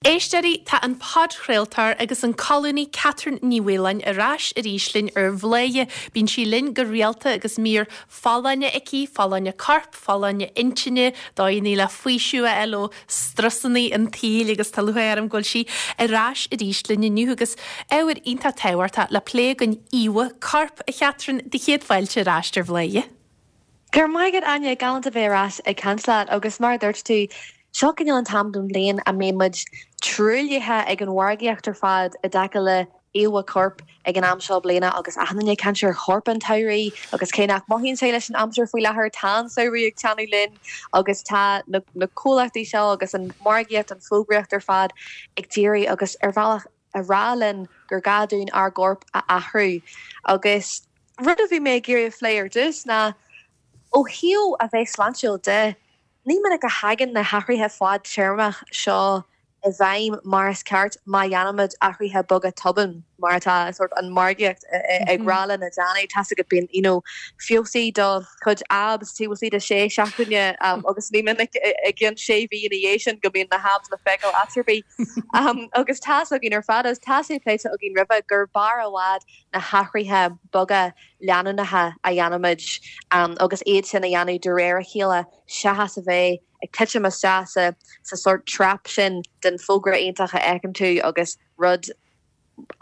Éisteoirí, tá an podchraoltóir agus an colúnaí Catherine Ní Mhaoláin ar ais arís linn ar Bhladhaire. Bíonn sí linn go rialta agus mír folláine aici, folláine coirp, folláine intinne, dóigheanna le faoiseamh a fháil ó strusanna an tsaoil agus tá lúcháir orm go bhfuil sí ar ais arís linn inniu agus ábhar iontach tábhachtach le plé againn, íomha coirp. A Chatherine, do chéad fáilte ar ais ar Bhladhaire. Go raibh maith agat, Áine, galánta a bheith ar ais ag caint leat agus mar a dúirt tú, seo cineál an t-am den bhliain a mbíonn muid truaillithe ag an mhargaíocht ar fad i dtaca le íomha coirp ag an am seo bliana agus achan duine ag caint ar chorp an tsamhraidh agus cé nach mothaíonn sé leis an aimsir faoi láthair, tá an samhradh ag teannadh linn agus tá na comhlachtaí seo agus an mhargaíocht, an fógraíocht ar fad ag d'iarraidh agus ar bhealach a rá linn gur gá dúinn ár gcorp a athrú. Agus rud a bhí mé ag iarraidh a phlé ar dtús ná, ó thaobh a bheith sláintiúil de, ní minic a thagann na hathruithe fadtéarmach seo i bhfeidhm mar is ceart má dhéanaimid athruithe beaga tobann, mar atá sort an margaíocht ag rá linn a dhéanamh. Tá's agat, bíonn, you know, feabhsaigh do chuid abs taobh istigh de sé seachtaine agus ní minic i gcionn sé mhí ina dhiaidh sin go mbíonn na habs le feiceáil áit ar bith. Agus tá's againn ar fad, agus tá sé pléite againn roimhe, gur b'fhearr i bhfad na hathruithe beaga leanúnacha a dhéanaimid agus iad sin a dhéanamh de réir a chéile seachas a bheith ag titim isteach sa sa sórt trap sin den fógra iontach a fheiceann tú agus rud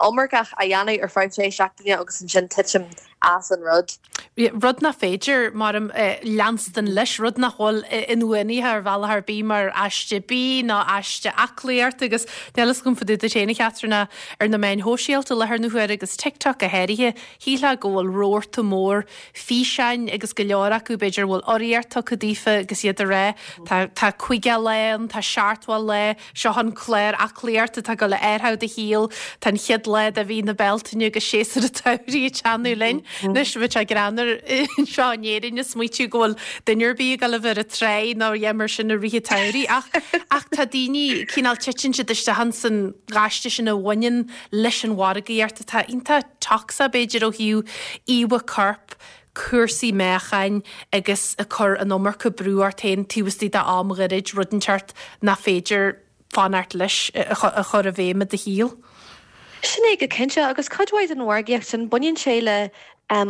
iomarcach a dhéanamh ar feadh sé seachtaine agus ansin titim as an rud. Rud nach féidir, maram, leanstan leis, rud nach bhfuil inbhuanaithe ar bhealach ar bith mar aiste bídh ná aiste aclaíochta agus níl fhios agam fá dtaobh duit féin a Chatherine ach ar na meáin shóisialta i láthair na huaire agus TikTok go háirithe, shílfeá go bhfuil rabharta mór físeáin agus go leor acu b'fhéidir a bhfuil urraíocht tugtha daofa agus iad ag rá tá tá 50 lá ann, tá 70 lá, Seo an clár aclaíochta atá ag dul a athrú do shaol. Tá an chéad lá de mhí na Bealtaine agus séasúr an tsamhraidh ag teannadh linn. Anois, bheadh sé greannmhar anseo in Éirinn ag smaoitiú go bhfuil duine ar bith ag dul a bheith ar an tráigh nó a dhath mar sin i rith an tsamhraidh. Ach, ach tá daoine, cineál, titeann siad isteach ins an ghaiste sin a bhaineann leis an mhargaíocht atá iontach tocsach, b'fhéidir, ó thaobh íomha coirp, cúrsaí meáchain agus ag cur an iomarca brú ort féin taobh istigh d'am ghairid, rud inteacht nach féidir fanacht leis a chur i bhfeidhm i do shaol. Sin é go cinnte, agus cuid mhaith den mhargaíocht sin, baineann sé le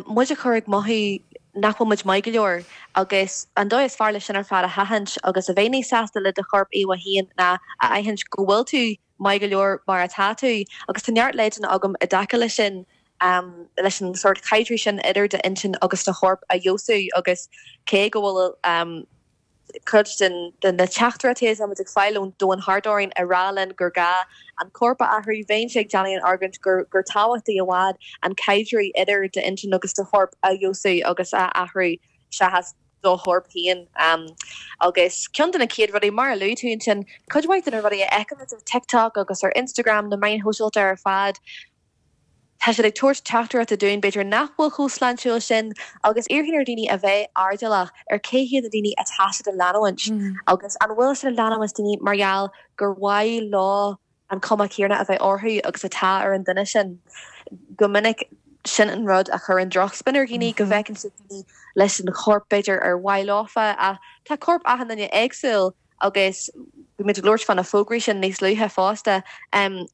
muid a chur ag mothú nach bhfuil muid maith go leor agus an dóigh is fearr leis sin ar fad a sheachaint agus a bheith níos sásta le do chorp íomhá féin ná a aithint go bhfuil tú maith go leor mar atá tú agus tá neart leideanna agam i dtaca leis sin, leis an sórt caidreamh sin idir d'intinn agus do chorp a fheabhsú agus cé go bhfuil cuid de na teachtaireachtaí atá muid ag fáil ón domhan thart orainn ag rá linn gur gá an corp a athrú, bheinnse ag déanamh an argóint gur gur tábhachtaí i bhfad an caidreamh idir d'intinn agus do chorp a fheabhsú agus a athrú seachas do chorp féin. Agus ceann de na chéad rudaí, mar a luaigh tú ansin, cuid mhaith de na rudaí a fheicimid ar TikTok agus ar Instagram, na meáin shóisialta ar fad, tá siad ag tabhairt teachtaireachta dúinn b'fhéidir nach bhfuil chomh sláintiúil sin agus iarrfainn ar dhaoine a bheith airdeallach ar cé hiad na daoine atá siad a leanúint agus an bhfuil siad ag leanúint daoine mar gheall gur mhaith leo an cuma chéanna a bheith orthu agus atá ar an duine sin. Go minic, sin an rud a chuireann drochspin ar dhaoine, go bhfeiceann siad daoine leis an chorp b'fhéidir ar mhaith leofa, ach tá corp achan duine éagsúil agus bhí muid ag labhairt fá na fógraí sin níos luaithe fosta.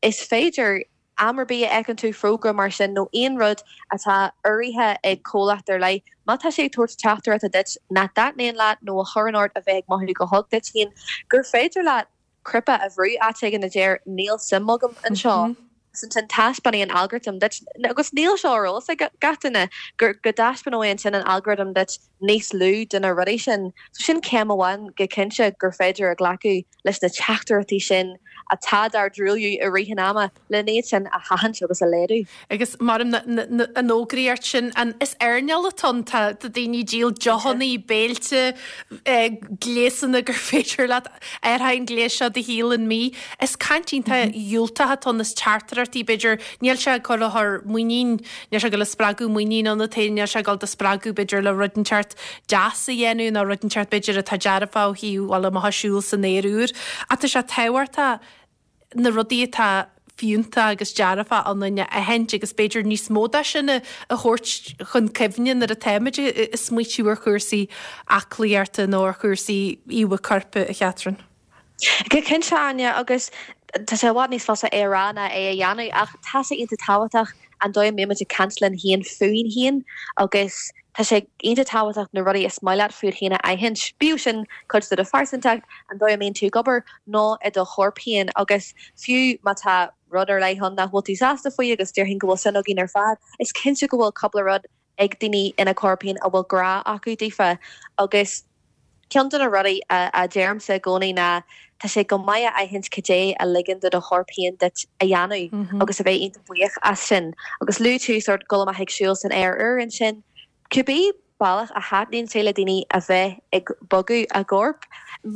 Is féidir am ar bith a fheiceann tú fógra mar sin nó aon rud atá urraithe ag comhlacht ar leith, má tá sé ag tabhairt teachtaireachta duit nach dtaitníonn leat nó a chuireann ort a bheith ag mothú go holc duit féin, gur féidir leat cnaipe a bhrú áit éigin a deir 'níl suim agam anseo'. Agus ansin taispeánfaidh an algorithm duit, agus níl seo ar eolas ag gach duine, go dtaispeánóidh ansin an algorithm duit níos lú de na rudaí sin. So sin céim amháin go cinnte gur féidir a ghlacadh leis na teachtaireachtaí sin atá dár dtruailliú i rith an ama, len iad sin a sheachaint agus a laghdú. Agus maram an fhógraíocht sin, an is earnáil atá ann, tá daoine ag díol deochanna, béilte, gléasanna gur féidir leat athraigh an gléas seo do shaol in mí. Is caint iontach dhiúltach atá ann, is teachtaireachtaí b'fhéidir, níl sé ag cur a chur muinín, níl sé ag dul ag spreagadh muinín ionat féin, níl sé ag dul do spreagadh b'fhéidir le rud inteacht deas a dhéanamh nó rud inteacht b'fhéidir atá dearfach ó thaobh dul amach ag siúl san aer úr. Ach tá sé tábhachtach na rudaí atá fiúntach agus dearfach ionainn a aithint agus b'fhéidir níos mó de sin a thabhairt chun cuimhne nuair atáimid ag smaoitiú ar chúrsaí aclaíochta nó ar chúrsaí íomha coirp, a Chatherine. Go cinnte, Áine, agus. Tá sé i bhfad níos fusa é a rá ná é a dhéanamh ach tá sé iontach tábhachtach an dóigh a mbíonn muid ag caint linn féin fúinn féin agus tá sé iontach tábhachtach na rudaí is maith leat fút féin a aithint, bíodh sin cuid de do phearsantacht, an dóigh a mbíonn tú ag obair nó i do chorp féin agus fiú má tá rud ar leith ann nach bhfuil tú sásta faoi agus déarfainn go bhfuil sin againn ar fad, is cinnte go bhfuil cúpla rud ag daoine ina corp féin a bhfuil grá acu daofa agus ceann de na rudaí a deirimse i gcónaí ná tá sé go maith a aithint cad é a ligeann do do chorp féin duit a dhéanamh agus a bheith iontach buíoch as sin. Agus luaigh tú sórt dul amach ag siúl san aer úr ansin, cibé bealach a thaitníonn sé le daoine a bheith ag bogadh a gcorp,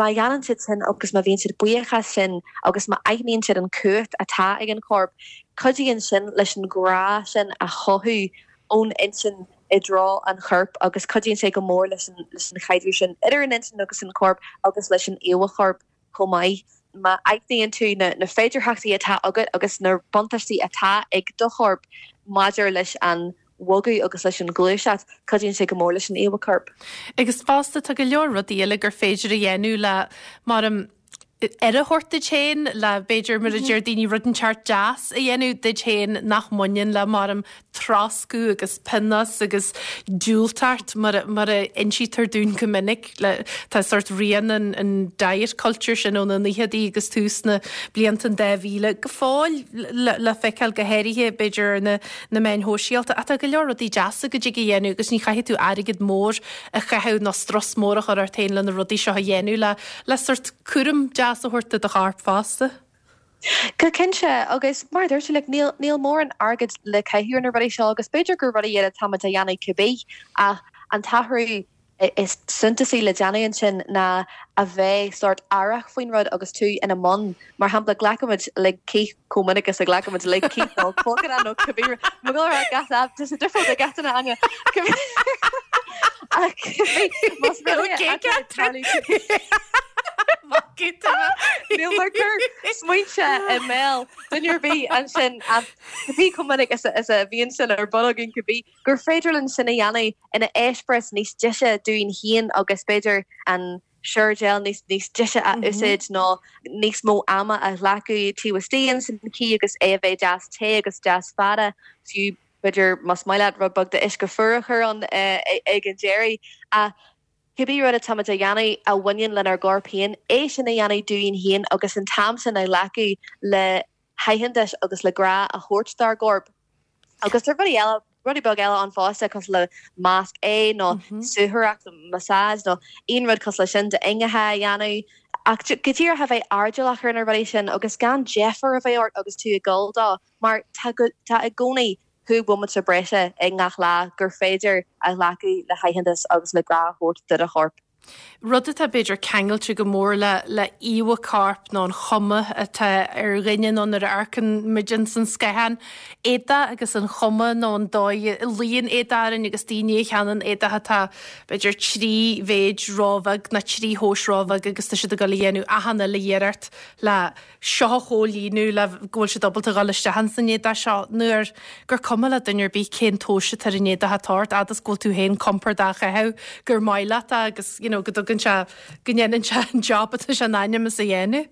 má dhéanann siad sin agus má bhíonn siad buíoch as sin agus má aithníonn siad an chumhacht atá ag an chorp, cuidíonn sin leis an ghrá sin a chothú ón intinn i dtreo an choirp agus cuidíonn sé go mór leis an chaidreamh sin idir an intinn agus an corp agus leis an íomhá choirp chomh maith. Má aithníonn tú na féidearthachtaí atá agat agus na buntáistí atá ag do chorp maidir leis an bhogadh agus leis an ghluaiseacht, cuidíonn sé go mór leis an íomhá choirp. Agus fosta, tá go leor rudaí eile gur féidir a dhéanamh le, mar aire a thabhairt duit féin le, b'fhéidir, mar a deir daoine, rud inteacht deas a dhéanamh duit féin nach mbaineann le, maram, troscadh agus pionós agus diúltacht mar a, mar a insítear dúinn go minic. Le, tá sórt rian an, an diet culture sin ó na naochadaí agus tús na blianta an 2000 go fóill le, le feiceáil go háirithe, b'fhéidir, ar na, na meáin shóisialta. Ach tá go leor rudaí deasa go dtig a dhéanamh agus ní chaithfidh tú airgead mór a chaitheamh nó strus mór a chur ort féin le na rudaí seo a dhéanamh le, le sórt cúram deas a thabhairt do do chorp fosta. Go cinnte, agus mar a dúirt tú, like, níl, níl mórán airgid le caitheamh ar na rudaí seo agus b'fhéidir gur rudaí iad atá muid a dhéanamh cibé ach an t-athrú is suntasaí le déanamh ansin ná a bheith sórt aireach faoin rud agus tú ina mbun. Mar shampla, glacaimid lig cith chomh minic is a ghlacaimid lig cith nó colgana nó cibé rud. Mo dhul a rá gach lá, tá sé difriúil do gach duine, Áine. Ach cibé, más rud é atá ag tarlú. Níl mé ag cur smaointe i mbéal duine ar bith ansin ach cibé chomh minic is a bhíonn sin ar bun againn cibé gur féidir linn sin a dhéanamh ina eispéireas níos deise dúinn féin agus b'fhéidir an shower gel níos níos deise a úsáid nó níos mó ama a ghlacadh taobh istigh ins an cith agus é a bheith deas te agus deas fada, fiú b'fhéidir más maith leat rud beag d'uisce fuar a chur ann ag an deireadh. Ach cibé rud atáimid a dhéanamh a bhaineann lenár gcorp féin, é sin a dhéanamh dúinn féin agus an t-am sin a ghlacadh le haitheantas agus le grá a thabhairt dár gcorp. Agus tá rudaí eile, rudaí beaga eile ann fosta cosúil le masc aghaidhe nó suathaireacht, massage nó aon rud cosúil leis sin d'ingeacha a dhéanamh. Ach go díreach a bheith airdeallach ar na rudaí sin agus gan deifir a bheith ort agus tú ag dul dó mar tá tá i gcónaí chúig bhomaite breise i ngach lá gur féidir a ghlacadh le haitheantas agus le grá a thabhairt do do chorp. Rud atá, b'fhéidir, ceangailte go mór le le íomha coirp nó an chuma atá ar dhuine nó nuair a amharcann muid ins an scáthán, éadach agus an chuma nó an dóigh a luíonn éadach orainn agus daoine a cheannaíonn éadach atá, b'fhéidir, trí mhéid róbheag nó trí thomhas róbheag agus tá siad ag dul a dhéanamh achan uile iarracht le seo a chomhlíonadh le go bhfuil siad ábalta dhul isteach ins an éadach seo nuair gur cuma le duine ar bith cén tomhas atá ar an éadach atá ort fhad is go bhfuil tú féin compordach á chaitheamh gur maith leat é agus you know go dtugann sé go ndéanann sé an job atá sé in ainm is a dhéanamh.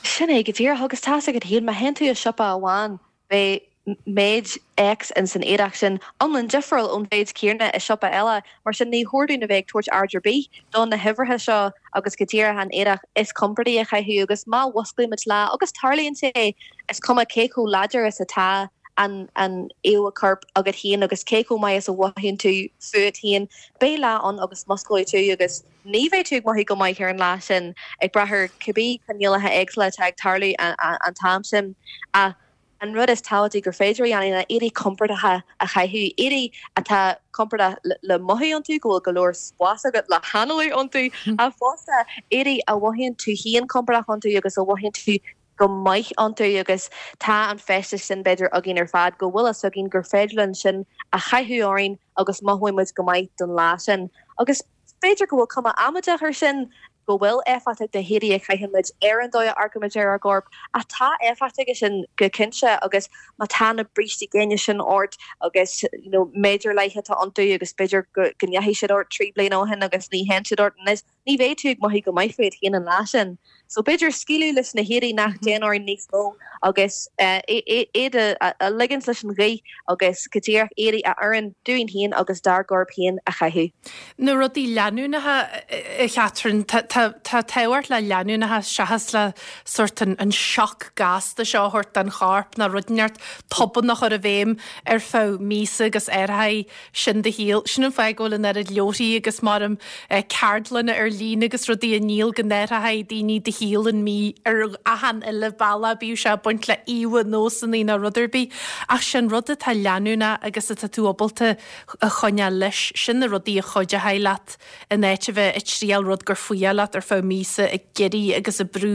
Sin é go díreach agus tá's agat féin má théann tú i siopa amháin beidh méid X in san éadach sin iomlán difriúil ón mhéid céanna i siopa eile. Mar sin ní chóir dúinn a bheith ag tabhairt aird ar bith do na huimhreacha seo agus go díreach an éadach is compordaí a chaitheamh agus má mhusclaímid lá, agus tarlaíonn sé, is cuma cé chomh láidir is atá an an íomhá coirp agat féin agus cé chomh maith is a mhothaíonn tú fút féin, beidh lá ann agus musclóidh tú agus ní bheidh tú ag mothú go maith ar an lá sin, ag brath ar cibé coinníollacha éagsúla atá ag tarlú an t-am sin. Ach An rud is tábhachtaí gur féidir a dhéanamh ná éadaí compordacha a chaitheamh, éadaí atá compordach le mothú iontu, go bhfuil go leor spáis agat le hanálú iontu, ach fosta éadaí a mhothaíonn tú féin compordach iontu agus a mhothaíonn tú go maith iontu agus tá an feisteas sin b'fhéidir againn ar fad go bhfuil fhios againn gur féidir linn sin a chaitheamh orainn agus mothóidh muid go maith don lá sin. Agus b'fhéidir go bhfuil cuma amaideach air sin, go bhfuil éifeacht ag na héadaí a chaitheann muid ar an dóigh a amharcaimid ar ár gcorp, ach tá éifeacht aige sin go cinnte agus má tá na brístí géine sin ort agus you know méid ar leith atá iontu agus b'fhéidir go go ndeachaigh siad ort 3 bliana ó shin agus ní théann siad ort anois. Ní bheidh tú ag mothú go maith fút féin an lá sin. So b'fhéidir scaoileadh leis na héadaí nach dtéann orainn níos mó agus iad a ligint leis an ghaoth agus go díreach éadaí a oireann dúinn féin agus dár gcorp féin a chaitheamh. Na rudaí leanúnacha, a Chatherine, tá tábhacht le leanúnachas seachas le sórt an sioc gasta seo a thabhairt don chorp nó rud inteacht tobann a chur i bhfeidhm ar feadh míosa agus athróidh sin do shaol. Sin an fáth go bhfuil an oiread leabharthaí agus maram ceardlanna ar líne agus rudaí á ndíol go n-athróidh daoine do shaol in mí ar achan uile bealach, bíodh sé ag baint le íomha, nósanna nó rud ar bith. Ach sin rud atá leanúnach agus atá tú ábalta a choinneáil leis, sin na rudaí a chuideoidh leat in áit a bheith ag triail rud gur fuath leat ar feadh míosa ag iarraidh agus ag brú,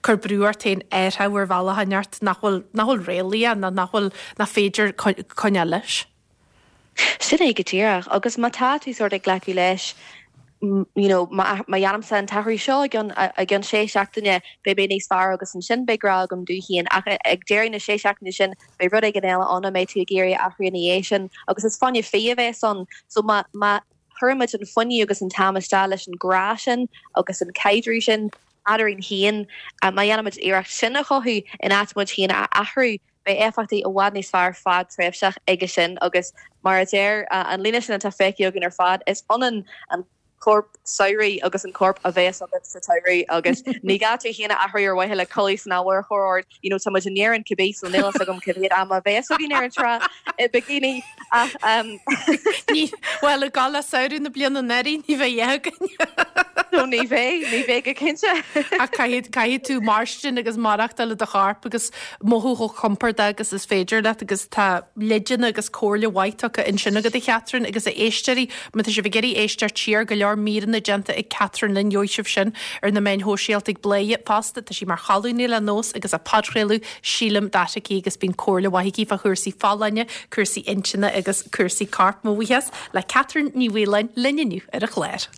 cur brú ort féin athrú ar bhealach inteacht nach bhfuil, nach bhfuil réalaíoch nó nach bhfuil, nach féidir coinneáil leis. Sin é go díreach. Agus má tá tú sórt ag glacadh leis, you know, má dhéanaimse an t-athrú seo i gceann, i gceann sé seachtaine, beidh mé níos fearr agus ansin beidh grá agam domh féin. Ach ag deireadh na sé seachtaine sin, beidh rud éigin eile ann a mbeidh tú ag iarraidh a athrú ina dhiaidh sin agus is fáinne fí a bheas ann. So má, má chuirimid an fuinneamh agus an t-am isteach leis an grá sin agus an caidreamh sin eadrainn féin, má dhéanaimid iarracht sin a chothú in áit muid féin a athrú, Beidh éifeachtaí i bhfad níos fearr fadtréimhseach aige sin agus mar a deir an líne sin atá feicthe againn ar fad, is ionann an corp samhraidh agus an corp a bheas agat sa tsamhradh agus ní gá tú féin a athrú ar mhaithe le culaith san fhómhar a chur ort, you know tá muid in Éirinn cibé so níl fhios agam cá mhéad ama a bheas againn ar an trá i bikini ach um. Ní, bhuel, ag gabháil le samhradh na bliana anuraidh ní bheidh againn. No ní bheidh, ní bheidh go cinnte. Ach caithfidh, caithfidh tú mairstin agus maireachtáil i do chorp agus mothú chomh compordach agus is féidir leat agus tá leideanna agus comhairle mhaith tugtha ansin agat a Chatherine agus a éisteoirí, má tá sibh ag iarraidh éisteacht siar, go leor míreanna déanta ag Catherine linn, gheobhaidh sibh sin ar na meáin shóisialta ag Bladhaire fosta, tá sí mar cholúnaí le Nós agus a podchraoladh Sílim That aici agus bíonn comhairle mhaith aici fá chúrsaí folláine, cúrsaí intinne agus cúrsaí coirp. Mo bhuíochas le Catherine Ní Mhaoláin linn inniu ar an chlár.